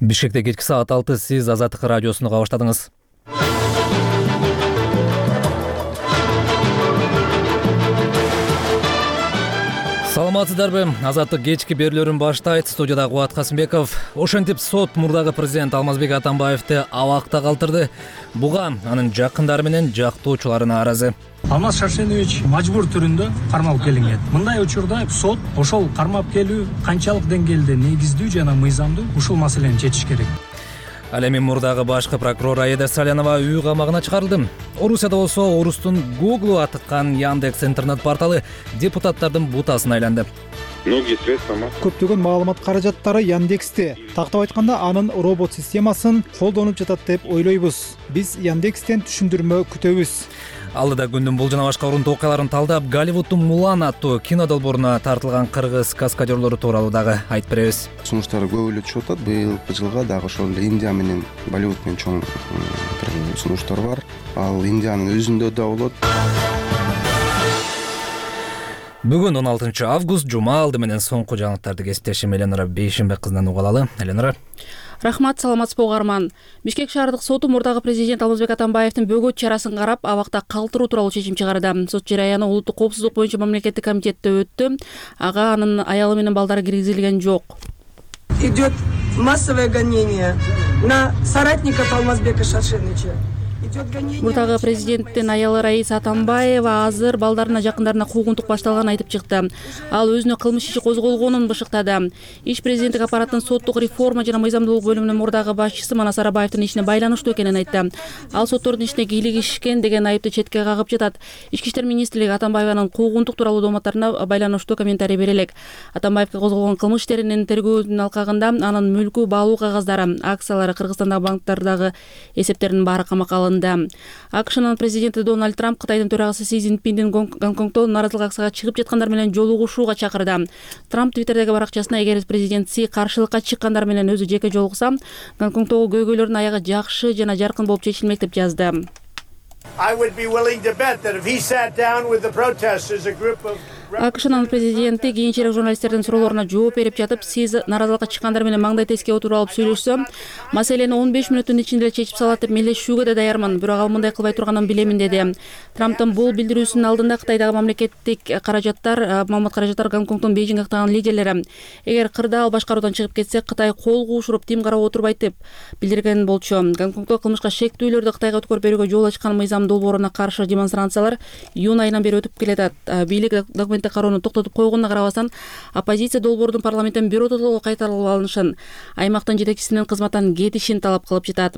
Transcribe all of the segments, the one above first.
Бишкекте кечки саат 6 сиз Азаттык радиосуну уга баштадыңыз. Саламатсыздарбы? Азаттык кечки берүүлөрүн баштайт. Студияда Кубат Касымбеков. Ошентип сот мурдагы президент Алмазбек Атамбаевди абакта калтырды. Буга анын жакындары менен жактоочулары нааразы. Алмаз Шаршенович мажбур түрүндө кармалып келинген. Мындай учурда сот ошол кармап келүү канчалык деңгээлде негиздүү жана мыйзамдуу ушул маселени чечиш керек. Ал эми мурдагы башкы прокурор Аида Салянова үй камагына чыгарылды. Орусияда болсо орустун Google атыккан Яндекс интернет порталы депутаттардын бутасына айланды. Көптөгөн маалымат каражаттары Яндексте. Тактап айтканда анын робот системасын колдонуп жатат деп ойлойбуз. Биз Яндекстен түшүндүрмө күтөбүз. Алдыда күндүн бул жана башка урунтуу окуяларын талдап, Голливуддун Мулан аттуу кино долбооруна тартылган кыргыз каскадерлору тууралуу дагы айтып беребиз. Сунуштары көп эле чыгып атат. Быйылкы жылга дагы ошол эле Индия менен Болливуд менен чоң бир сунуштар бар. Ал Индиянын өзүндө да болот. Бүгүн 16 август жума алды менен соңку жаңылыктарды кесиптешим Эленора Бейшимбек кызынан уга алалы. Эленора. Рахмат, саламатсызбы угарман. Бишкек шаардык соту мурдагы президент Алмазбек Атамбаевдин бөгөт чарасын карап, абакта калтыруу тууралуу чечим чыгарды. Сот жарыяны улуттук коопсуздук боюнча мамлекеттик комитетте өттү. Ага анын аялы менен балдары киргизилген жок. Идет массовое гонение на соратников Алмазбека Шаршеновича. Мурдагы президенттин аялы Раиса Атамбаева азыр балдарына жакындарына куугунтук башталганын айтып чыкты. Ал өзүнө кылмыш иши козголгонун бышыктады. Иш президенттик аппараттын соттук реформа жана мыйзамдуулук бөлүмүнүн мурдагы башчысы Манас Арабаевдин ишине байланыштуу экенин айтты. Ал соттордун ишине кийлигишкен деген айыпты четке кагып жатат. Ички иштер министрлиги Атамбаеванын куугунтук тууралуу дооматтарына байланыштуу комментарий бере элек. Атамбаевге козголгон кылмыш иштеринин тергөөнүн алкагында анын мүлкү, баалуу кагаздары, акциялары, Кыргызстандагы банктардагы эсептеринин баары камакка алынды. АКШнын президенти Дональд Трамп Кытайдын төрагасы Си Цзиньпиндин Гонконгдо нааразылык акцияга чыгып жаткандар менен жолугушууга чакырды. Трамп Твиттердеги баракчасына эгер президент Си каршылыкка чыккандар менен өзү жеке жолугса, Гонконгдогу көйгөйлөрдүн аягы жакшы жана жаркын болуп чечилмек деп жазды. АКШнын президенти кийинчерээк журналисттердин суроолоруна жооп берип жатып, сиз нааразылыкка чыккандар менен маңдай теске отуруп алып сүйлөшсөм, маселени 15 мүнөттүн ичинде эле чечип салат деп мелдешүүгө да даярмын, бирок ал мындай кылбай турганын билемин деди. Трамптын бул билдирүүсүнүн алдында Кытайдагы мамлекеттик маалымат каражаттар Гонконгдон Бейжиңге актаган лидерлери эгер кырдаал башкаруудан чыгып кетсе, Кытай кол куушуруп тим карап отурбайт деп билдирген болчу. Гонконгдо кылмышка шектүүлөрдү Кытайга өткөрүп берүүгө жол ачкан мыйзам долбооруна каршы демонстрациялар июнь айынан бери өтүп келатат. Бийлик документ кароону токтотуп койгонуна карабастан, оппозиция долбоордун парламенттен биротоло кайтарылып алынышын, аймактын жетекчисинин кызматтан кетишин талап кылып жатат.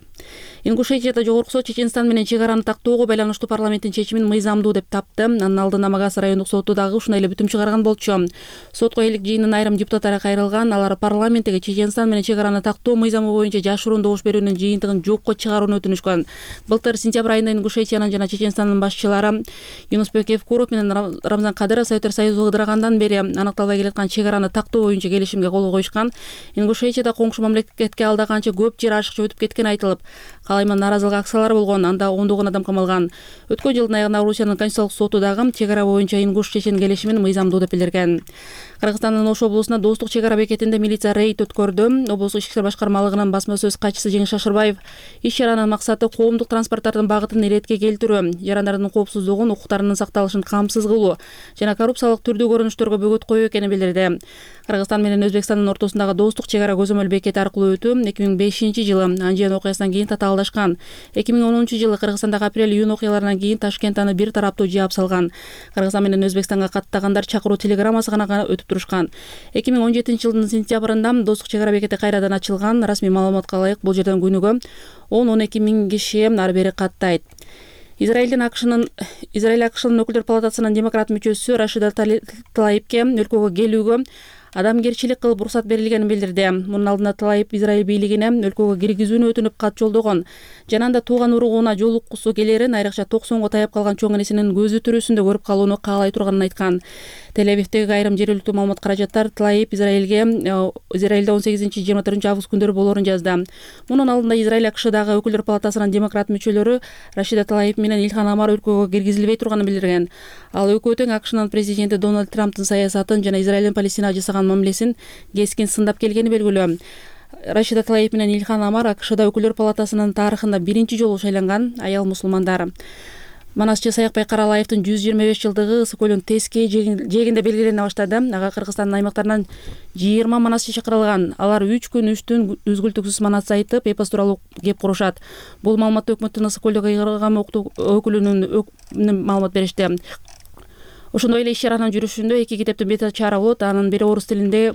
Ингушетияда жогорку сот Чеченстан менен чек араны тактоого байланыштуу парламенттин чечимин мыйзамдуу деп тапты. Анын алдында Магас райондук соту дагы ушундай эле бүтүм чыгарган болчу. Сотко элек жыйындын айрым депутаттары кайрылган, алар парламенттеги Чеченстан менен чек араны тактоо мыйзамы боюнча жашыруун добуш берүүнүн жыйынтыгын жокко чыгарууну өтүнүшкөн. Былтыр сентябрь айында Ингушетиянын жана Чеченстандын башчылары Юнусбек Евкуров менен Рамзан Кадыров Союзу ыдырагандан бери аныкталбай келаткан чек араны тактоо боюнча келишимге кол коюшкан. Ингушетияда коңшу мамлекетке алда канча көп жер ашыкча өтүп кеткени айтылып, калайма нааразылык акциялары болгон, анда ондогон адам камалган. Өткөн жылдын аягында Орусиянын Конституциялык соту дагы чек ара боюнча Ингуш-Чечен келишимин мыйзамдуу деп билдирген. Кыргызстандын Ош облусуна Достук чек ара бекетинде милиция рейд өткөрдү. Облустук ички иштер башкармалыгынын басма сөз катчысы Жеңиш Шашырбаев иш чаранын максаты коомдук транспорттардын багытын иретке келтирүү, жарандардын коопсуздугун, укуктарынын сакталышын камсыз кылуу жана коррупциялык түрдүү көрүнүштөргө бөгөт коюу экенин билдирди. Кыргызстан менен Өзбекстандын ортосундагы Достук чек ара көзөмөл бекети аркылуу өтүү 2005-жылы Анжиан окуясынан кийин татаалдашкан. 2010-жылы Кыргызстандагы апрель-июнь окуяларынан кийин Ташкент аны бир тараптуу жаап салган. Кыргызстан менен Өзбекстанга каттагандар чакыруу телеграммасы гана өтүп турушкан. 2017-жылдын сентябрында Достук чек ара бекети кайрадан ачылган. Расмий маалыматка ылайык бул жерден күнүгө 10-12 миң киши ары бери каттайт. Израиль АКШнын өкүлдөр палатасынын демократ мүчөсү Рашида Тлаипке өлкөгө келүүгө адамгерчилик кылып уруксат берилгенин билдирди. Мунун алдында Тлаип Израиль бийлигине өлкөгө киргизүүнү өтүнүп кат жолдогон. Жана анда тууган уругуна жолуккусу келерин, айрыкча 90го таяп калган чоң энесинин көзү төрөсүндө көрүп калууну каалай турганын айткан. Тель-Авивдеги айрым жергиликтүү маалымат каражаттар Тлаип Израилде 18-24 август күндөрү болорун жазды. Мунун алдында Израиль АКШдагы өкүлдөр палатасынын демократ мүчөлөрү Рашида Тлаип менен Илхан Амар өлкөгө киргизилбей турганын билдирген. Ал экөө тең АКШнын президенти Дональд Трамптын саясатын жана Израилдин Палестинага жасаган мамилесин кескин сындап келгени белгилүү. Рашида Талаев менен Илхан Амар АКШда Өкүлдөр палатасынын тарыхында биринчи жолу шайланган аял мусулмандар. Манасчы Саякбай Каралаевдин 125 жылдыгы Ысык көлүнүн Тескей жээгинде белгилене баштады. Ага Кыргызстандын аймактарынан 20 манасчы чакырылган. Алар 3 күн 3 түн үзгүлтүксүз манас айтып, эпос тууралуу кеп курушат. Бул маалыматты өкмөттүн Ысык көлдөгү ыйгарган өкүлүнүн маалымат беришти. Ошондой эле иш-чаранын жүрүшүндө 2 китептин бети чара болот. Анын бири орус тилинде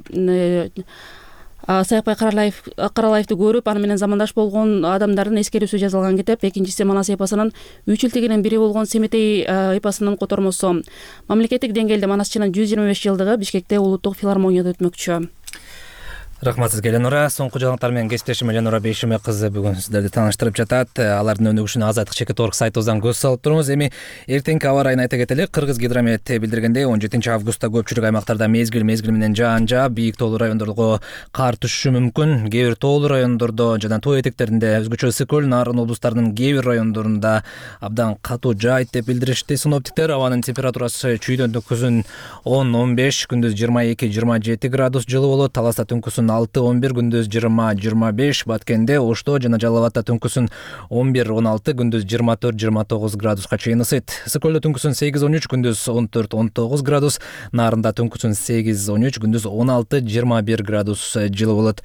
Саякбай Каралаевди көрүп, аны менен замандаш болгон адамдардын эскерүүсү жазылган китеп. Экинчиси Манас эпосунун 3 илтигинин бири болгон Семетей эпосунун котормосу. Мамлекеттик деңгээлде Манасчынын 125 жылдыгы Бишкекте улуттук филармонияда өтмөкчү. Рахмат сизге, Ленура. Соңку жаңылыктар менен кесиптешим Ленура Бейшеме кызы бүгүн сиздерди тааныштырып жатат. Алардын өнүгүшүнө Азаттык Чекит.org сайтыбыздан көз салып турубуз. Эми эртеңки аба ырайын айта кетели. Кыргыз гидромет билдиргендей, 17-августта көпчүлүк аймактарда мезгил менен жаан жаап, бийик тоолуу райондорго кар түшүшү мүмкүн. Кээ бир тоолуу райондордо жана тоо этектеринде, өзгөчө Ысык көл, Нарын облустарынын кээ бир райондорунда абдан катуу жаайт деп билдиришти синоптиктер. Абанын температурасы чүйдөн түнкүсүн 10-15, күндүз 22-27 градус жылы болот. Таласта түнкүсүн 6-11, күндүз 20-25, Баткенде, Ошто жана Жалал Абадта түнкүсүн 11-16, күндүз 24-29 градуска чейин ысыйт. Ысык көлдө түнкүсүн 8-13, күндүз 14-19 градус, Нарында түнкүсүн 8-13, күндүз 16-21 градус жылы болот.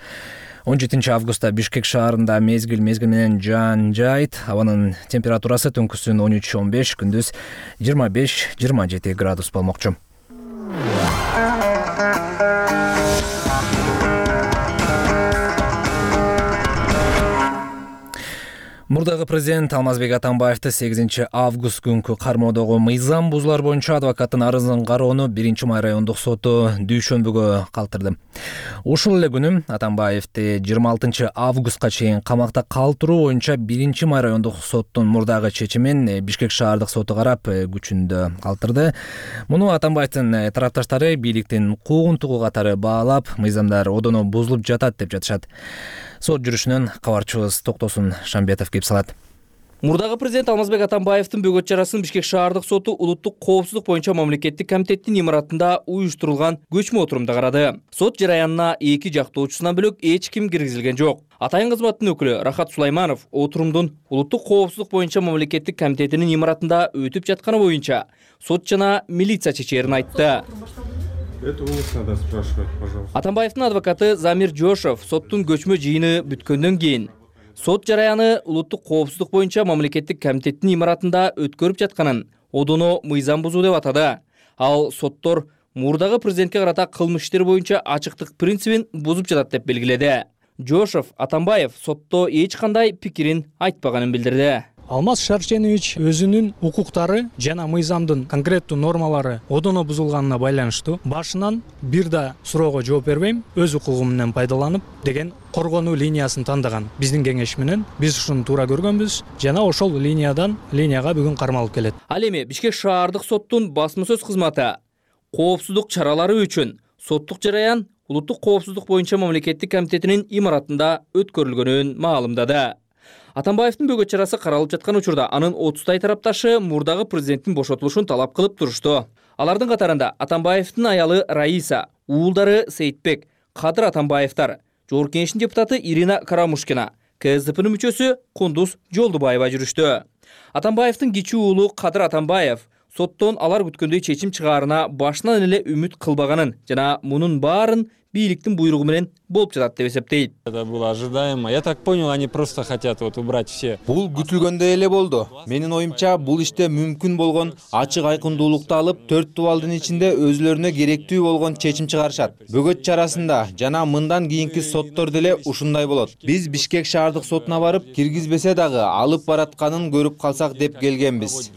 17-августта Бишкек шаарында мезгил менен жаан жаайт. Абанын температурасы түнкүсүн 13-15, күндүз 25-27 градус болмокчу. Мурдагы президент Алмазбек Атамбаевди 8 август күнкү кармоодогу мыйзам бузуулар боюнча адвокаттын арызын кароону 1-май райондук соту дүйшөмбүгө калтырды. Ушул эле күнү Атамбаевди 26 августка чейин камакта калтыруу боюнча 1-май райондук соттун мурдагы чечимин Бишкек шаардык соту карап күчүндө калтырды. Муну Атамбаевдин тарапташтары бийликтин куугунтугу катары баалап, мыйзамдар одоно бузулуп жатат деп жатышат. Сот жүрүшүнөн кабарчыбыз Токтосун Шамбетов кеп салат. Мурдагы президент Алмазбек Атамбаевдин бөгөт чарасын Бишкек шаардык соту улуттук коопсуздук боюнча мамлекеттик комитеттин имаратында уюштурулган көчмө отурумда карады. Сот жараянына эки жактоочусунан бөлөк эч ким киргизилген жок. Атайын кызматтын өкүлү Рахат Сулайманов отурумдун улуттук коопсуздук боюнча мамлекеттик комитетинин имаратында өтүп жатканы боюнча сот жана милиция чечерин айтты. Это у них надо спрашивать, пожалуйста. Атамбаевдин адвокаты Замир Жошов соттун көчмө жыйыны бүткөндөн кийин сот жараяны улуттук коопсуздук боюнча мамлекеттик комитеттин имаратында өткөрүп жатканын одоно мыйзам бузуу деп атады. Ал соттор мурдагы президентке карата кылмыш иштер боюнча ачыктык принцибин бузуп жатат деп белгиледи. Жошов Атамбаев сотто эч кандай пикирин айтпаганын билдирди. Алмаз Шарченович өзүнүн укуктары жана мыйзамдын конкреттүү нормалары одоно бузулганына байланыштуу башынан бир да суроого жооп бербейм, өз укугум менен пайдаланып деген коргонуу линиясын тандаган. Биздин кеңеш менен биз ушуну туура көргөнбүз жана ошол линияга бүгүн кармалып келет. Ал эми Бишкек шаардык соттун басма сөз кызматы коопсуздук чаралары үчүн соттук жараян улуттук коопсуздук боюнча мамлекеттик комитетинин имаратында өткөрүлгөнүн маалымдады. Атамбаевдин бөгөт чарасы каралып жаткан учурда анын 30 тарапташы мурдагы президенттин бошотулушун талап кылып турушту. Алардын катарында Атамбаевдин аялы Раиса, уулдары Сейитбек, Кадыр Атамбаевдар, Жогорку Кеңештин депутаты Ирина Карамушкина, КСДПнын мүчөсү Кундуз Жолдубаева жүрүштү. Атамбаевдин кичүү уулу Кадыр Атамбаев соттон алар күткөндөй чечим чыгаарына башынан эле үмүт кылбаганын жана мунун баарын бийликтин буйругу менен болуп жатат деп эсептейт. Это было ожидаемо. Я так понял, они просто хотят убрать все. Бул күтүлгөндөй эле болду. Менин оюмча бул иште мүмкүн болгон ачык айкындуулукту алып, 4 дубалдын ичинде өзүлөрүнө керектүү болгон чечим чыгарышат. Бөгөт чарасында жана мындан кийинки соттор деле ушундай болот. Биз Бишкек шаардык сотуна барып, киргизбесе дагы алып баратканын көрүп калсак деп келгенбиз.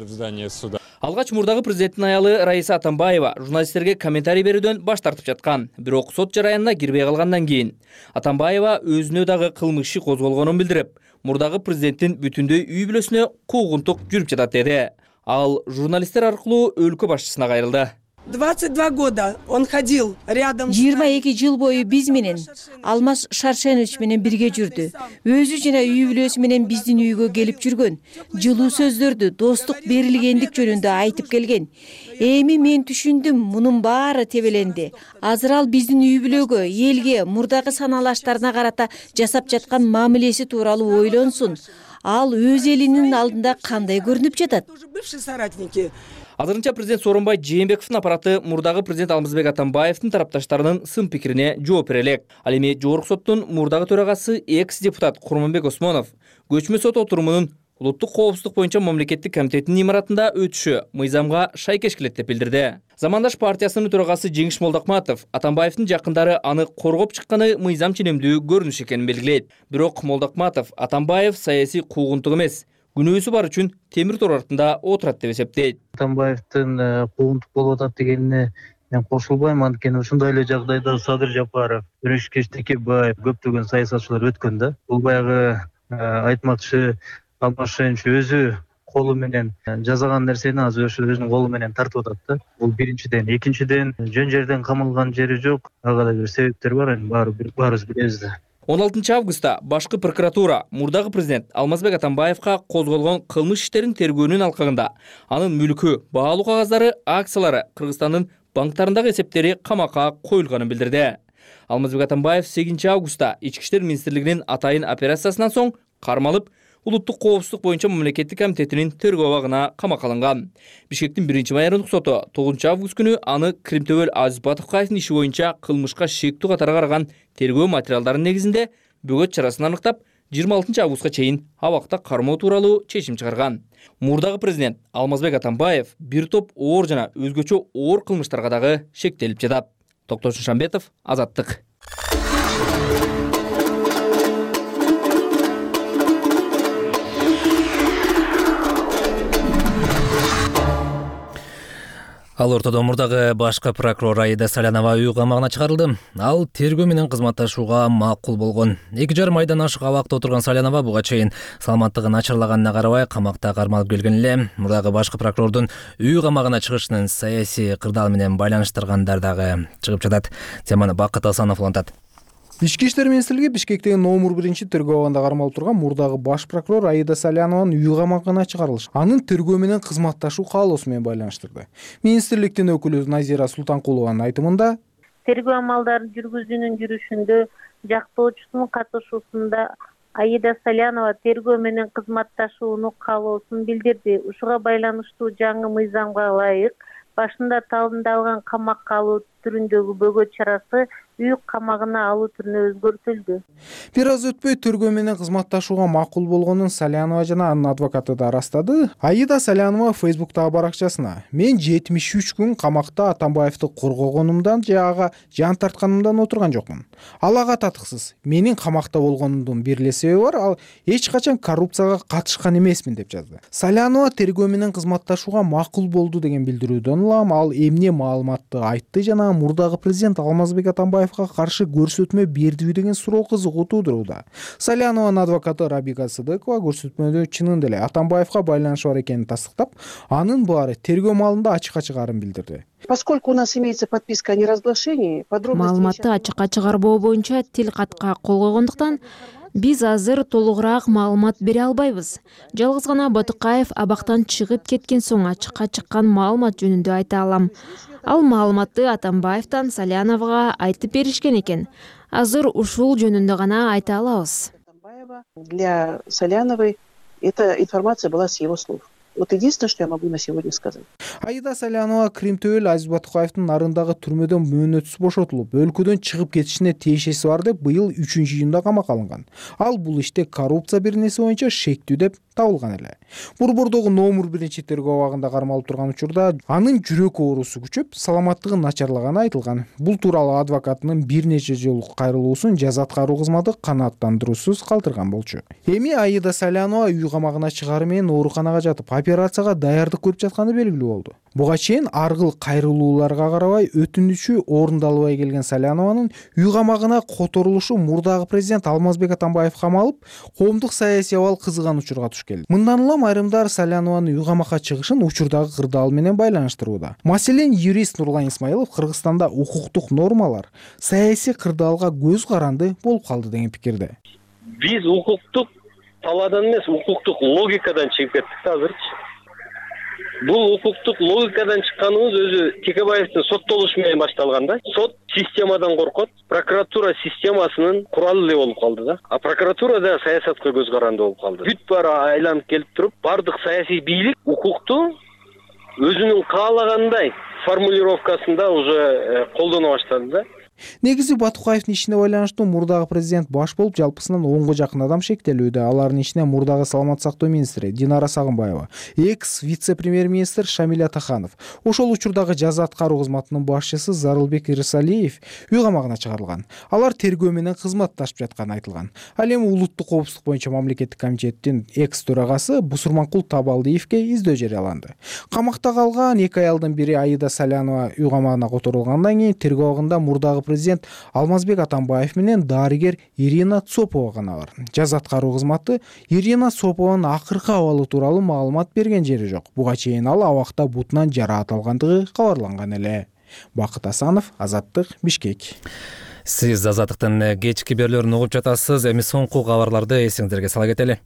Алгач мурдагы президенттин аялы Раиса Атамбаева журналисттерге комментарий берүүдөн баш тартып жаткан. Бирок сот жараянына кирбей калгандан кийин Атамбаева өзүнө дагы кылмыш иши козголгонун билдирип, мурдагы президенттин бүтүндөй үй бүлөсүнө куугунтук жүрүп жатат деди. Ал журналисттер аркылуу өлкө башчысына кайрылды. 22 года он ходил рядом. 22 жыл бою биз менен Алмаз Шаршенович менен бирге жүрдү. Өзү жана үй бүлөсү менен биздин үйгө келип жүргөн. Жылуу сөздөрдү, достук, берилгендик жөнүндө айтып келген. Эми мен түшүндүм, мунун баары тебеленди. Азыр ал биздин үй бүлөгө, элге, мурдагы саналаштарына карата жасап жаткан мамилеси тууралуу ойлонсун. Ал өз элинин алдында кандай көрүнүп жатат? Бывшие соратники. Азырынча президент Сооронбай Жээнбековдун аппараты мурдагы президент Алмазбек Атамбаевдин тарапташтарынын сын пикирине жооп бере элек. Ал эми жогорку соттун мурдагы төрагасы экс-депутат Курманбек Осмонов көчмө сот отурумунун улуттук коопсуздук боюнча мамлекеттик комитетинин имаратында өтүшү мыйзамга шайкеш келет деп билдирди. Замандаш партиясынын төрагасы Жеңиш Молдокматов Атамбаевдин жакындары аны коргоп чыкканы мыйзам ченемдүү көрүнүш экенин белгилейт. Бирок Молдокматов Атамбаев саясий куугунтук эмес, күнөөсү бар үчүн темир тор артында отурат деп эсептейт. Атамбаевдин куугунтук болуп атат дегенине мен кошулбайм, анткени ушундай эле жагдайда Садыр Жапаров, Өрөшкеш Текебаев, көптөгөн саясатчылар өткөн да. Бул баягы айтмакчы Алмаз Шаршенович өзү колу менен жасаган нерсени азыр өзүнүн колу менен тартып атат да. Бул биринчиден. Экинчиден, жөн жерден камалган жери жок. Ага да бир себептер бар, эми баарыбыз билебиз да. 16 августта башкы прокуратура мурдагы президент Алмазбек Атамбаевка козголгон кылмыш иштерин тергөөнүн алкагында анын мүлкү, баалуу кагаздары, акциялары Кыргызстандын банктарындагы эсептери камакка коюлганын билдирди. Алмазбек Атамбаев 8 августта Ички иштер министрлигинин атайын операциясынан соң кармалып, улуттук коопсуздук боюнча мамлекеттик комитетинин тергөө абагына камакка алынган. Бишкектин 1-майордук соту 9 август күнү аны Кримтөбөл Азиз Батыкаевдин иши боюнча кылмышка шектүү катары караган тергөө материалдарынын негизинде бөгөт чарасын аныктап, 26 августка чейин абакта кармоо тууралуу чечим чыгарган. Мурдагы президент Алмазбек Атамбаев бир топ оор жана өзгөчө оор кылмыштарга дагы шектелип жатат. Токтош Шамбетов, Азаттык. Ал ортодо мурдагы башкы прокурор Аида Салянова үй камагына чыгарылды. Ал тергөө менен кызматташууга макул болгон. 2,5 айдан ашык абакта отурган Салянова буга чейин саламаттыгы начарлаганына карабай камакта кармалып келген эле. Мурдагы башкы прокурордун үй камагына чыгышынын саясий кырдаал менен байланыштыргандар дагы чыгып жатат. Теманы Бакыт Асанов улантат. Ички иштер министрлиги Бишкектеги номер 1 тергөө абагында кармалып турган мурдагы баш прокурор Аида Салянованын үй камагына чыгарылышы анын тергөө менен кызматташуу каалоосу менен байланыштырды. Министрликтин өкүлү Назира Султанкулованын айтымында тергөө амалдарын жүргүзүүнүн жүрүшүндө жактоочусунун катышуусунда Аида Салянова тергөө менен кызматташууну каалоосун билдирди. Ушуга байланыштуу жаңы мыйзамга ылайык башында талындалган камакка алуу түрүндөгү бөгөт чарасы үй камагына алуу түрүнө өзгөртүлдү. Бир аз өтпөй тергөө менен кызматташууга макул болгонун Салянова жана анын адвокаты да ырастады. Аида Салянова Facebook'тагы баракчасына: "Мен 73 күн камакта Атамбаевди коргогонумдан же ага жан тартканымдан отурган жокмун. Ал ага татыксыз. Менин камакта болгонумдун бир эле себеби бар, ал эч качан коррупцияга катышкан эмесмин" деп жазды. Салянова тергөө менен кызматташууга макул болду деген билдирүүдөн улам ал эмне маалыматты айтты жана мурдагы президент Алмазбек Атамбаевга каршы көрсөтмө бердиби деген суроо кызыгуу туудурууда. Салянованын адвокаты Рабика Сыдыкова көрсөтмөдө чынында эле Атамбаевга байланышы бар экенин тастыктап, анын баары тергөө маалында ачыкка чыгаарын билдирди. Поскольку у нас имеется подписка о неразглашении, маалыматты ачыкка чыгарбоо боюнча тил катка кол койгондуктан биз азыр толугураак маалымат бере албайбыз. Жалгыз гана Батыкаев абактан чыгып кеткен соң ачыкка чыккан маалымат жөнүндө айта алам. Ал маалыматты Атамбаевден Саляновага айтып беришкен экен. Азыр ушул жөнүндө гана айта алабыз. Для Саляновой эта информация была с его слов. Вот единственное, что я могу на сегодня сказать. Аида Салянова Кримтөбөл Азиз Батыкаевдин нарындагы түрмөдөн мөөнөтсүз бошотулуп, өлкөдөн чыгып кетишине тиешеси бар деп быйыл 3-июнда камакка алынган. Ал бул иште коррупция бир нерсе боюнча шектүү деп табылган эле. Борбордогу номер 1 тергөө абагында кармалып турган учурда анын жүрөк оорусу күчөп, саламаттыгы начарлаганы айтылган. Бул тууралуу адвокатынын бир нече жолу кайрылуусун жаза аткаруу кызматы канааттандыруусуз калтырган болчу. Эми Аида Салянова үй камагына чыгары менен ооруканага жатып, операцияга даярдык көрүп жатканы белгилүү болду. Буга чейин аргыл кайрылууларга карабай өтүнүчү орундалбай келген Салянованын үй камагына которулушу мурдагы президент Алмазбек Атамбаев камалып, коомдук саясий абал кызыган учурга туш келди. Мындан улам айрымдар Салянованын үй камакка чыгышын учурдагы кырдаал менен байланыштырууда. Маселен, юрист Нурлан Исмаилов Кыргызстанда укуктук нормалар саясий кырдаалга көз каранды болуп калды деген пикирде. Биз укуктук талаадан эмес, укуктук логикадан чыгып кеттик да азырчы. Бул укуктук логикадан чыкканыбыз өзү Текебаевдин соттолушу менен башталган да. Сот системадан коркот, прокуратура системасынын куралы эле болуп калды да. А прокуратура да саясатка көз каранды болуп калды. Бүт баары айланып келип туруп, бардык саясий бийлик укукту өзүнүн каалагандай формулировкасында уже колдоно баштады да. Негизи Батукаевдин ишине байланыштуу мурдагы президент баш болуп жалпысынан 10го жакын адам шектелүүдө. Алардын ичинде мурдагы саламаттык сактоо министри Динара Сагынбаева, экс вице-премьер-министр Шамиль Атаханов, ошол учурдагы жаза аткаруу кызматынын башчысы Зарылбек Ирсалиев үй камагына чыгарылган. Алар тергөө менен кызматташып жатканы айтылган. Ал эми улуттук коопсуздук боюнча мамлекеттик комитеттин экс төрагасы Бусурманкул Табалдиевге издөө жарыяланды. Камакта калган 2 аялдын бири Аида Салянова үй камагына которулгандан кийин тергөө абагында мурдагы президент Алмазбек Атамбаев менен дарыгер Ирина Цопова гана бар. Жаза аткаруу кызматы Ирина Цопованын акыркы абалы тууралуу маалымат берген жери жок. Буга чейин ал абакта бутунан жараат алгандыгы кабарланган эле. Бакыт Асанов, Азаттык, Бишкек. Сиз Азаттыктын кечки берүүлөрүн угуп жатасыз. Эми соңку кабарларды эсиңиздерге сала кетели.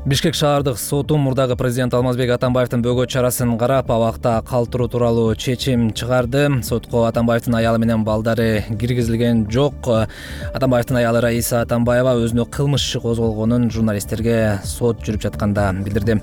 Бишкек шаардык соту мурдагы президент Алмазбек Атамбаевдин бөгөт чарасын карап, абакта калтыруу тууралуу чечим чыгарды. Сотко Атамбаевдин аялы менен балдары киргизилген жок. Атамбаевдин аялы Раиса Атамбаева өзүнө кылмыш иши козголгонун журналисттерге сот жүрүп жатканда билдирди.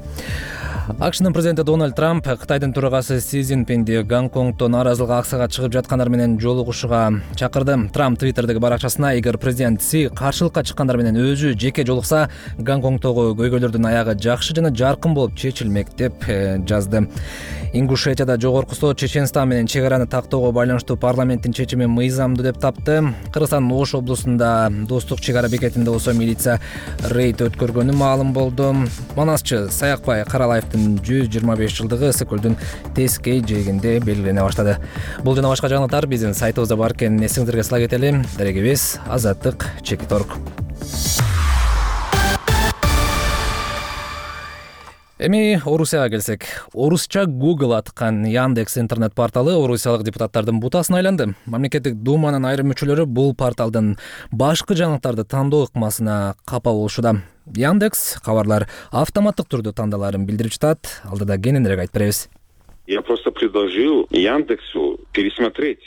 АКШнын президенти Дональд Трамп Кытайдын төрагасы Си Цзиньпинди Гонконгдо нааразылык акцияга чыгып жаткандар менен жолугушууга чакырды. Трамп Твиттердеги баракчасына эгер президент Си каршылыкка чыккандар менен өзү жеке жолукса, Гонконгдогу көйгөйлөрдүн аягы жакшы жана жаркын болуп чечилмек деп жазды. Ингушетияда жогорку сот Чеченстан менен чек араны тактоого байланыштуу парламенттин чечими мыйзамдуу деп тапты. Кыргызстандын Ош облусунда достук чек ара бекетинде болсо милиция рейд өткөргөнү маалым болду. Манасчы Саякбай Каралаевдин 125 жылдыгы Ысык-Көлдүн Тескей жээгинде белгилене баштады. Бул жана башка жаңылыктар биздин сайтыбызда бар экенин эсиңиздерге сала кетели. Дарегибиз Азаттык /Чекиторг. Эми Орусияга келсек, орусча Google аткан Яндекс интернет порталы орусиялык депутаттардын бутасына айланды. Мамлекеттик думанын айрым мүчөлөрү бул порталдын башкы жаңылыктарды тандоо ыкмасына капа болушууда. Яндекс кабарлар автоматтык түрдө тандаларын билдирип жатат. Алдыда кененирээк айтып беребиз. Я просто предложил Яндексу пересмотреть.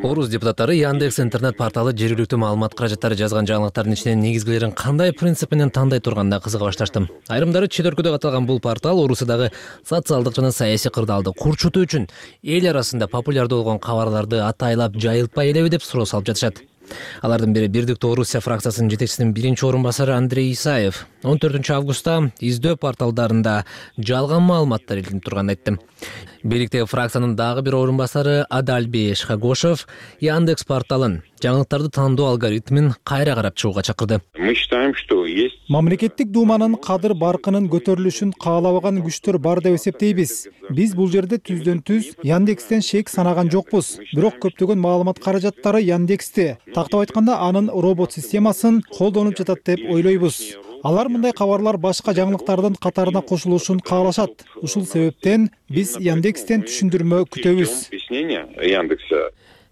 Орус депутаттары Яндекс интернет порталы жергиликтүү маалымат каражаттары жазган жаңылыктардын ичинен негизгилерин кандай принцип менен тандай турганына кызыга башташты. Айрымдары четөркү деп аталган бул портал Орусиядагы социалдык жана саясий кырдаалды курчутуу үчүн эл арасында популярдуу болгон кабарларды атайлап жайылтпай элеби деп суроо салып жатышат. Алардын бири Бирдиктүү Орусия фракциясынын жетекчисинин биринчи орун басары Андрей Исаев 14 августта издөө порталдарында жалган маалыматтар илинип турганын айтты. Бийликтеги фракциянын дагы бир орун басары Адальбей Шхагошев Яндекс порталын жаңылыктарды тандоо алгоритмин кайра карап чыгууга чакырды. Мы считаем, что есть Мамлекеттик думанын кадыр баркынын көтөрүлүшүн каалабаган күчтөр бар деп эсептейбиз. Биз бул жерде түздөн түз Яндекстен шек санаган жокпуз. Бирок көптөгөн маалымат каражаттары Яндексте, тактап айтканда анын робот системасын колдонуп жатат деп ойлойбуз. Алар мындай кабарлар башка жаңылыктардын катарына кошулушун каалашат. Ушул себептен биз Яндекстен түшүндүрмө күтөбүз.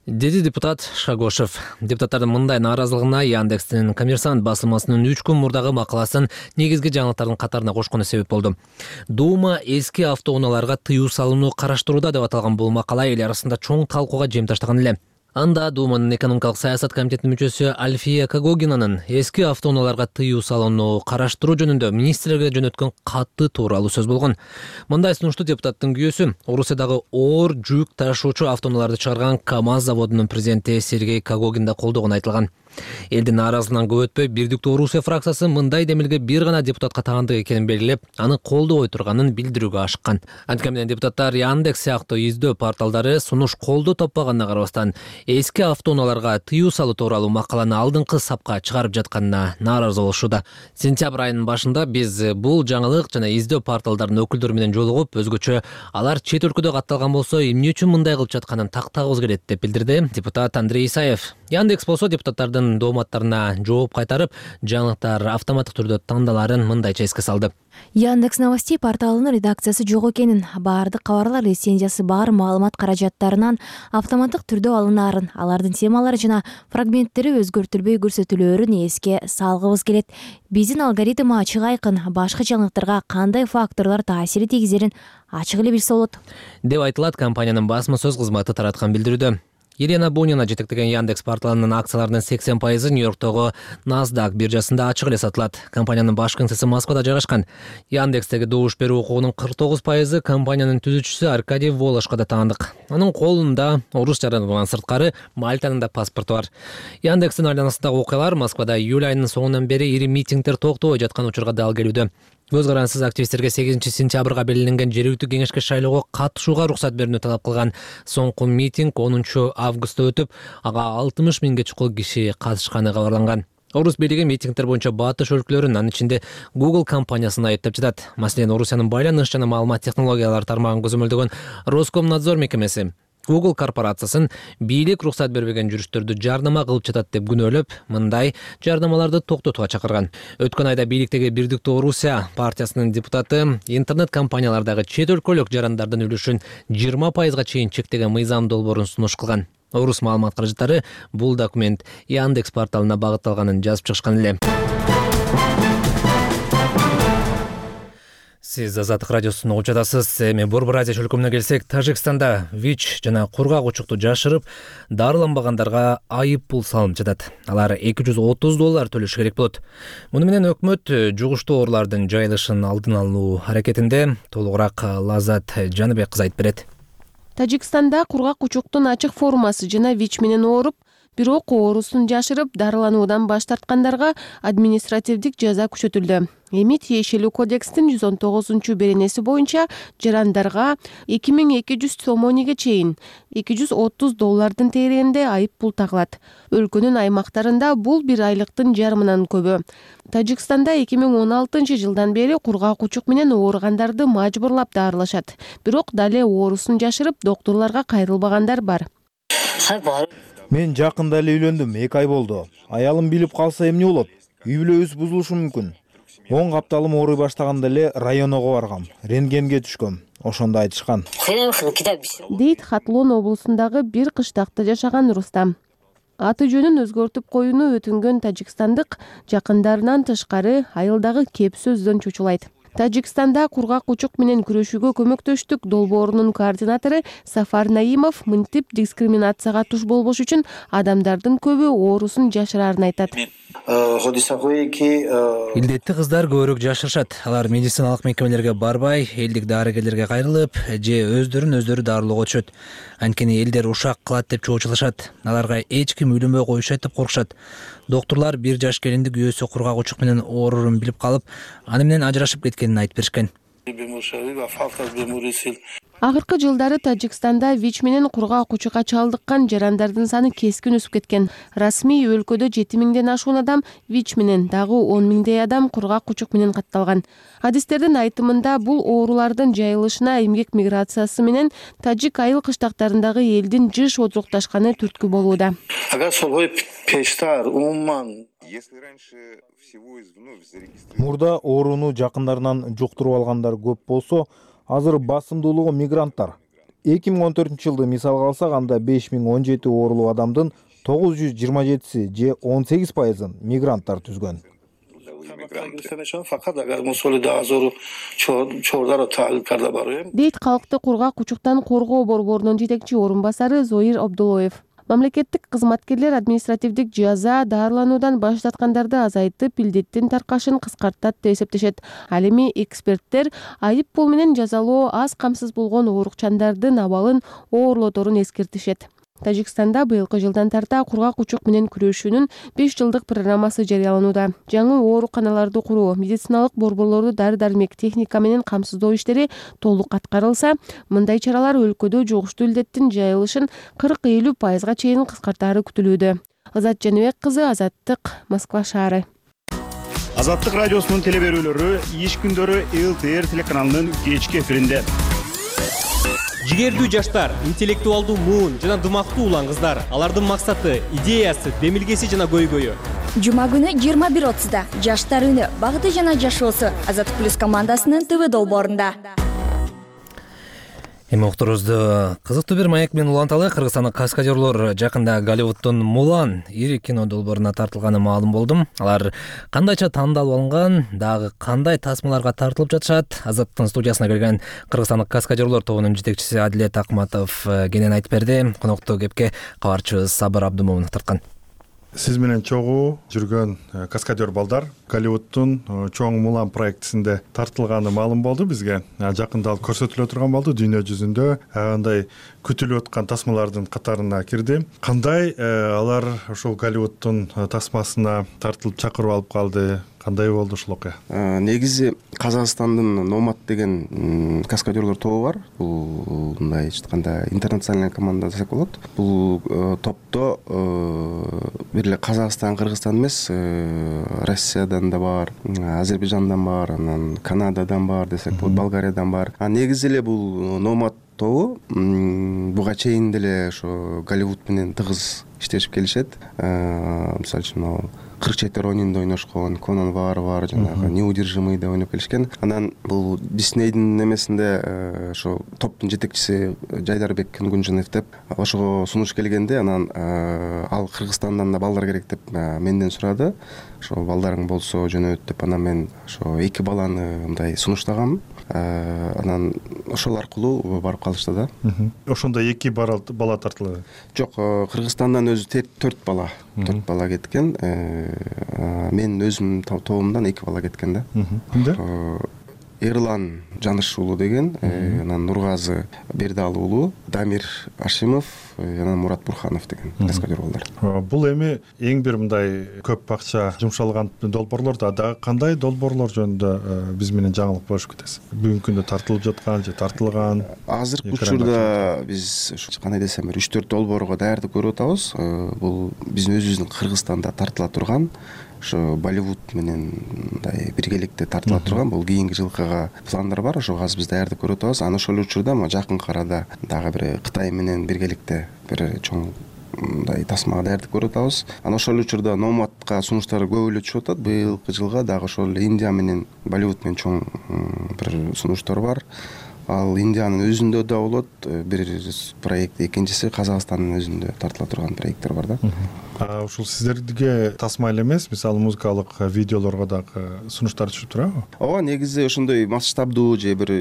Деди депутат Шагошев. Депутаттардын мындай нааразылыгына Яндекстин Коммерсант басылмасынын 3 күн мурдагы макаласын негизги жаңылыктардын катарына кошкону себеп болду. Дума эски автоунааларга тыюу салууну караштырууда деп аталган бул макала эл арасында чоң талкууга жем таштаган эле. Анда Думанын экономикалык саясат комитетинин мүчөсү Альфия Кагогинанын эски автоунааларга тыюу салууну караштыруу жөнүндө министрлерге жөнөткөн катты тууралуу сөз болгон. Мындай сунушту депутаттын күйөөсү Орусиядагы оор жүк ташуучу автоунааларды чыгарган КАМАЗ заводунун президенти Сергей Кагогин да колдогону айтылган. Элдин нааразылыгынан көп өтпөй Бирдиктүү Орусия фракциясы мындай демилге бир гана депутатка таандык экенин белгилеп, аны колдобой турганын билдирүүгө ашыккан. Антип менен депутаттар Яндекс сыяктуу издөө порталдары сунуш колдоо таппаганына карабастан эски автоунааларга тыюу салуу тууралуу макаланы алдыңкы сапка чыгарып жатканына нааразы болушууда. Сентябрь айынын башында биз бул жаңылык жана издөө порталдарынын өкүлдөрү менен жолугуп, өзгөчө алар чет өлкөдө катталган болсо эмне үчүн мындай кылып жатканын тактагыбыз келет деп билдирди депутат Андрей Исаев. Яндекс болсо депутаттардын дооматтарына жооп кайтарып, жаңылыктар автоматтык түрдө тандаларын мындайча эске салды. Яндекс Новостей порталынын редакциясы жок экенин, баардык кабарлар лицензиясы бар маалымат каражаттарынан автоматтык түрдө алынаарын, алардын темалары жана фрагменттери өзгөртүлбөй көрсөтүлөөрүн эске салгыбыз келет. Биздин алгоритм ачык айкын, башка жаңылыктарга кандай факторлор таасир тийгизерин ачык эле билсе болот, деп айтылат компаниянын басма сөз кызматы тараткан билдирүүдө. Елена Бунина жетектеген Яндекс порталынын акцияларынын 80% Нью-Йорктогу NASDAQ биржасында ачык эле сатылат. Компаниянын баш кеңсеси Москвада жайгашкан. Яндекстеги добуш берүү укугунун 49% компаниянын түзүүчүсү Аркадий Волошко да таандык. Анын колунда орус жаранынан сырткары Мальтанын да паспорту бар. Яндекстин айланасындагы окуялар Москвада июль айынын соңунан бери ири митингдер токтобой жаткан учурга дал келүүдө. Көз карансыз активисттерге 8 сентябрга белгиленген жергиликтүү кеңешке шайлоого катышууга уруксат берүүнү талап кылган. Соңку митинг 10 августта өтүп, ага 60 миңге чукул киши катышканы кабарланган. Орус бийлиги митингдер боюнча батыш өлкөлөрүн, анын ичинде Google компаниясын айыптап жатат. Маселен, Орусиянын байланыш жана маалымат технологиялары тармагын көзөмөлдөгөн Роскомнадзор мекемеси Google корпорациясын бийлик уруксат бербеген жүрүштөрдү жарнама кылып жатат деп күнөөлөп, мындай жарнамаларды токтотууга чакырган. Өткөн айда бийликтеги Бирдиктүү Орусия партиясынын депутаты интернет компаниялардагы чет өлкөлүк жарандардын үлүшүн 20%га чейин чектеген мыйзам долбоорун сунуш кылган. Орус маалымат каражаттары бул документ Яндекс порталына багытталганын жазып чыгышкан эле. Сиз Азаттык радиосун угуп жатасыз. Эми Борбор Азия чөлкөмүнө келсек, Тажикстанда ВИЧ жана кургак учукту жашырып, дарыланбагандарга айып пул салынып жатат. Алар $230 төлөшү керек болот. Муну менен өкмөт жугуштуу оорулардын жайылышын алдын алуу аракетинде. Толугураак Лазат Жаныбек кызы айтып берет. Тажикстанда кургак учуктун ачык формасы жана ВИЧ менен ооруп, бирок оорусун жашырып, дарылануудан баш тарткандарга административдик жаза күчөтүлдү. Эми тиешелүү кодекстин 119 боюнча жарандарга 2200 сомониге чейин $230 тегерегинде айып пул тагылат. Өлкөнүн аймактарында бул бир айлыктын жарымынан көбү. Тажикстанда 2016 жылдан бери кургак учук менен ооругандарды мажбурлап дарылашат. Бирок дале оорусун жашырып, доктурларга кайрылбагандар бар. Мен жакында эле үйлөндүм, 2 ай болду. Аялым билип калса эмне болот? Үй бүлөбүз бузулушу мүмкүн. 10 капталым ооруй баштаганда эле районго баргам, рентгенге түшкөм. Ошондо айтышкан. Дейт Хатлон облусундагы бир кыштакта жашаган Рустам. Аты жөнүн өзгөртүп коюуну өтүнгөн тажикстандык жакындарынан тышкары айылдагы кеп сөздөн чочулайт. Тажикстанда кургак учук менен күрөшүүгө көмөктөштүк долбоорунун координатору Сафар Наимов мынтип дискриминацияга туш болбош үчүн адамдардын көбү оорусун жашыраарын айтат. Илдетти кыздар көбүрөөк жашырышат. Алар медициналык мекемелерге барбай, элдик дарыгерлерге кайрылып, же өздөрүн дарылоого түшөт. Анткени элдер ушак кылат деп чоочулашат. Аларга эч ким үйлөнбөй коюшат деп коркушат. Доктурлар 1 жаш келиндик үйөөсү кургак учук менен оорурун билип калып, аны менен ажырашып кеткенин айтып беришкен. Акыркы жылдары Тажикстанда ВИЧ менен кургак учукка чалдыккан жарандардын саны кескин өсүп кеткен. Расмий өлкөдө 7000ден ашуун адам ВИЧ менен, дагы 10 миңдей адам кургак учук менен катталган. Адистердин айтымында бул оорулардын жайылышына эмгек миграциясы менен тажик айыл кыштактарындагы элдин жыш отурукташканы түрткү болууда. Мурда ооруну жакындарынан жуктуруп алгандар көп болсо, азыр басымдуулугу мигранттар. 2014 жылды мисалга алсак, анда 5017 оорулуу адамдын 927 же 18%-ын мигранттар түзгөн. Дейт калкты кургак учуктан коргоо борборунун жетекчи орун басары Зоир Абдулоев. Мамлекеттик кызматкерлер административдик жаза дарылануудан баш тарткандарды азайтып, илдеттин таркашын кыскартат деп эсептешет. Ал эми эксперттер айып пул менен жазалоо аз камсыз болгон оорукчандардын абалын оорлоторун эскертишет. Тажикстанда быйылкы жылдан тарта кургак учук менен күрөшүүнүн 5 жылдык программасы жарыяланууда. Жаңы ооруканаларды куруу, медициналык борборлорду дары-дармек, техника менен камсыздоо иштери толук аткарылса, мындай чаралар өлкөдө жугуштуу илдеттин жайылышын 40-50% чейин кыскартаары күтүлүүдө. Азат Жаныбек кызы, Азаттык, Москва шаары. Азаттык радиосунун телеберүүлөрү иш күндөрү ЛТР телеканалынын кечки эфиринде. Жигердүү жаштар, интеллектуалдуу муун жана дымактуу улан кыздар. Алардын максаты, идеясы, демилгеси жана көйгөйү. Жума күнү 21:30 жаштар үнү, багыты жана жашоосу Азаттык плюс командасынын ТВ долбоорунда. Эми окторубузду кызыктуу бир маек менен уланталы. Кыргызстандык каскадерлор жакында Голливуддун Мулан ири кино долбооруна тартылганы маалым болдум. Алар кандайча тандалып алынган, дагы кандай тасмаларга тартылып жатышат? Азаттын студиясына келген Кыргызстандык каскадерлор тобунун жетекчиси Адилет Акматов кенен айтып берди. Коноктуу кепке кабарчыбыз Сабыр Абдымомунов тарткан. Сиз менен чогуу жүргөн каскадер балдар Голливуддун чоң Мулан проектисинде тартылганы маалым болду бизге. Жакында ал көрсөтүлө турган болду дүйнө жүзүндө. Андай күтүлүп аткан тасмалардын катарына кирди. Кандай алар ушул Голливуддун тасмасына тартылып чакырып алып калды? Кандай болду ушул окуя? Негизи Казакстандын Номад деген каскадерлор тобу бар. Бул мындай айтканда интернациональный команда десек болот. Бул топто бир эле Казакстан, Кыргызстан эмес, Россиядан да бар, Азербайжандан бар, анан Канададан бар десек болот, Болгариядан бар. Негизи эле бул Номад тобу буга чейин деле ошо Голливуд менен тыгыз иштешип келишет. Мисалы үчүн 44 ойунунда ойношкон, Конан бар, жанагы Неудержимый да ойноп келишкен. Анан бул Диснейдин немесинде ошо топтун жетекчиси Жайдарбек Күнгүнжанов деп ошого сунуш келгенде, анан ал Кыргызстандан да балдар керек деп менден сурады. Ошо балдарың болсо жөнөт деп, анан мен ошо 2 баланы мындай сунуштагам. Анан ошол аркылуу барып калышты да. Ошондо 2 бала тартылды. Жок, Кыргызстандан өзү 4 бала. 4 бала кеткен. Мен өзүм тобумдан 2 бала кеткен да. Кимдер? Эрлан Жаныш уулу деген, анан Нургазы Бердалы уулу, Дамир Ашимов, анан Мурат Бурханов деген каскадер балдар. Бул эми эң бир мындай көп акча жумшалган долбоорлор да кандай долбоорлор жөнүндө биз менен жаңылык болуш кетесиз? Бүгүнкү күндө тартылып жаткан же тартылган? Азыркы учурда биз кандай десем, 3-4 долбоорго даярдык көрүп атабыз. Бул биздин өзүбүздүн Кыргызстанда тартыла турган, ошо Болливуд менен мындай биргеликте тартыла турган бул кийинки жылкыга пландар бар. Ошого азыр биз даярдык көрүп атабыз. Аны ошол учурда жакынкы арада дагы бир Кытай менен биргеликте бир чоң мындай тасмага даярдык көрүп атабыз. Аны ошол учурда Номадка сунуштар көп эле түшүп атат. Быйылкы жылга дагы ошол Индия менен Болливуд менен чоң бир сунуштар бар. Ал Индиянын өзүндө да болот бир проект, экинчиси Казакстандын өзүндө тартыла турган проекттер бар да. Ушул сиздерге тасма эле эмес, мисалы музыкалык видеолорго дагы сунуштар түшүп турабы? Ооба, негизи ошондой масштабдуу же бир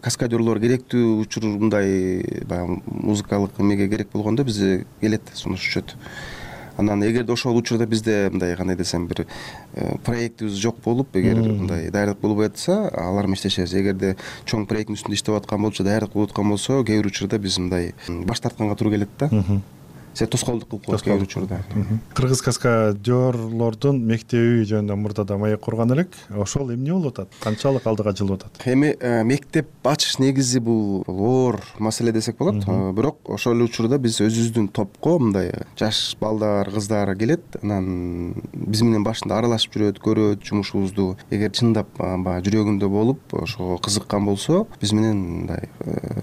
каскадерлор керектүү учурундай баягы музыкалык эмеге керек болгондо бизде келет, сунуш түшөт. Анан эгерде ошол учурда бизде мындай кандай десем бир проектибиз жок болуп, эгер мындай даярдык болбой атса, алар менен иштешебиз. Эгерде чоң проекттин үстүндө иштеп аткан болчу, даярдык болуп аткан болсо, кээ бир учурда биз мындай баш тартканга туура келет да. Се тоскоолдук кылып коет кээ бир учурда. Кыргыз каскадерлордун мектеби жөнүндө мурдада маек курган элек. Ошол эмне болуп атат? Канчалык алдыга жылып атат? Эми мектеп ачыш негизи бул оор маселе десек болот. Бирок ошол учурда биз өзүбүздүн топко мындай жаш балдар, кыздар келет. Анан биз менен башында аралашып жүрөт, көрөт жумушубузду. Эгер чындап баягы жүрөгүндө болуп, ошого кызыккан болсо, биз менен мындай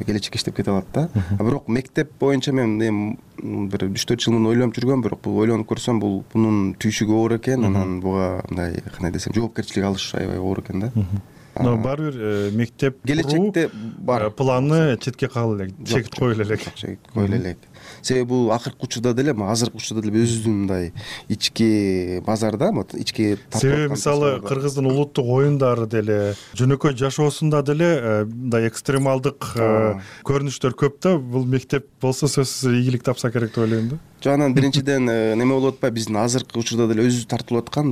келечекке иштеп кете алат да. Бирок мектеп боюнча мен бир 3-4 жыл муну ойлонуп жүргөм, бирок бул ойлонуп көрсөм, бул бунун түйшүгү оор экен, анан буга мындай кандай десем, жоопкерчилик алыш аябай оор экен да. Баары бир мектеп келечекте бар планы четке калып элек, чек коюла элек. Коюла элек. Себеби бул акыркы учурда деле, азыркы учурда деле өзүбүздүн мындай ички базарда, ички себеби мисалы Кыргыздын улуттук оюндары деле, жөнөкөй жашоосунда деле мындай экстремалдык көрүнүштөр көп да. Бул мектеп болсо сөзсүз ийгилик тапса керек деп ойлойм да. Жанан биринчиден неме болуп атпайбы, биздин азыркы учурда деле өзүбүз тартылып аткан,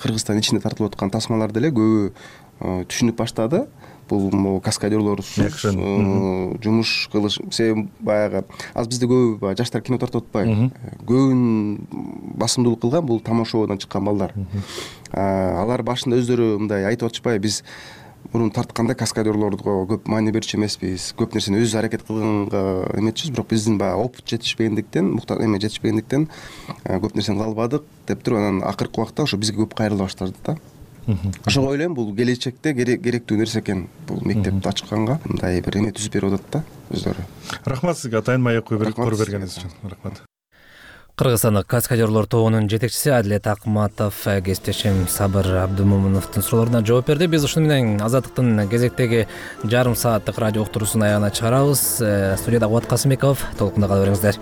Кыргызстан ичинде тартылып аткан тасмалар деле көбү түшүнүп баштады. бул могу каскадерлорсуз жумуш кылыш. Себеби баягы азыр бизде көп баягы жаштар кино тартып атпайбы, көбүн басымдуулук кылган бул тамошободон чыккан балдар. Алар башында өздөрү мындай айтып атышпайбы, биз мурун тартканда каскадерлорго көп маани берчү эмеспиз, көп нерсени өзүбүз аракет кылганга эметчүбүз, бирок биздин баягы опыт жетишпегендиктен, жетишпегендиктен көп нерсени кыла албадык деп туруп, анан акыркы убакта ошо бизге көп кайрыла баштады да. Ошого ойлойм, бул келечекте керектүү нерсе экен, бул мектепти ачканга мындай бир эме түзүп берип атат да өздөрү. Рахмат сизге атайын маек кое бергениңиз үчүн. Рахмат. Кыргызстандык каскадерлор тобунун жетекчиси Адилет Акматов кесиптешим Сабыр Абдымомуновдун суроолоруна жооп берди. Биз ушуну менен Азаттыктын кезектеги жарым сааттык радио уктуруусун аягына чыгарабыз. Студияда Кубат Касымбеков, толкунда кала бериңиздер.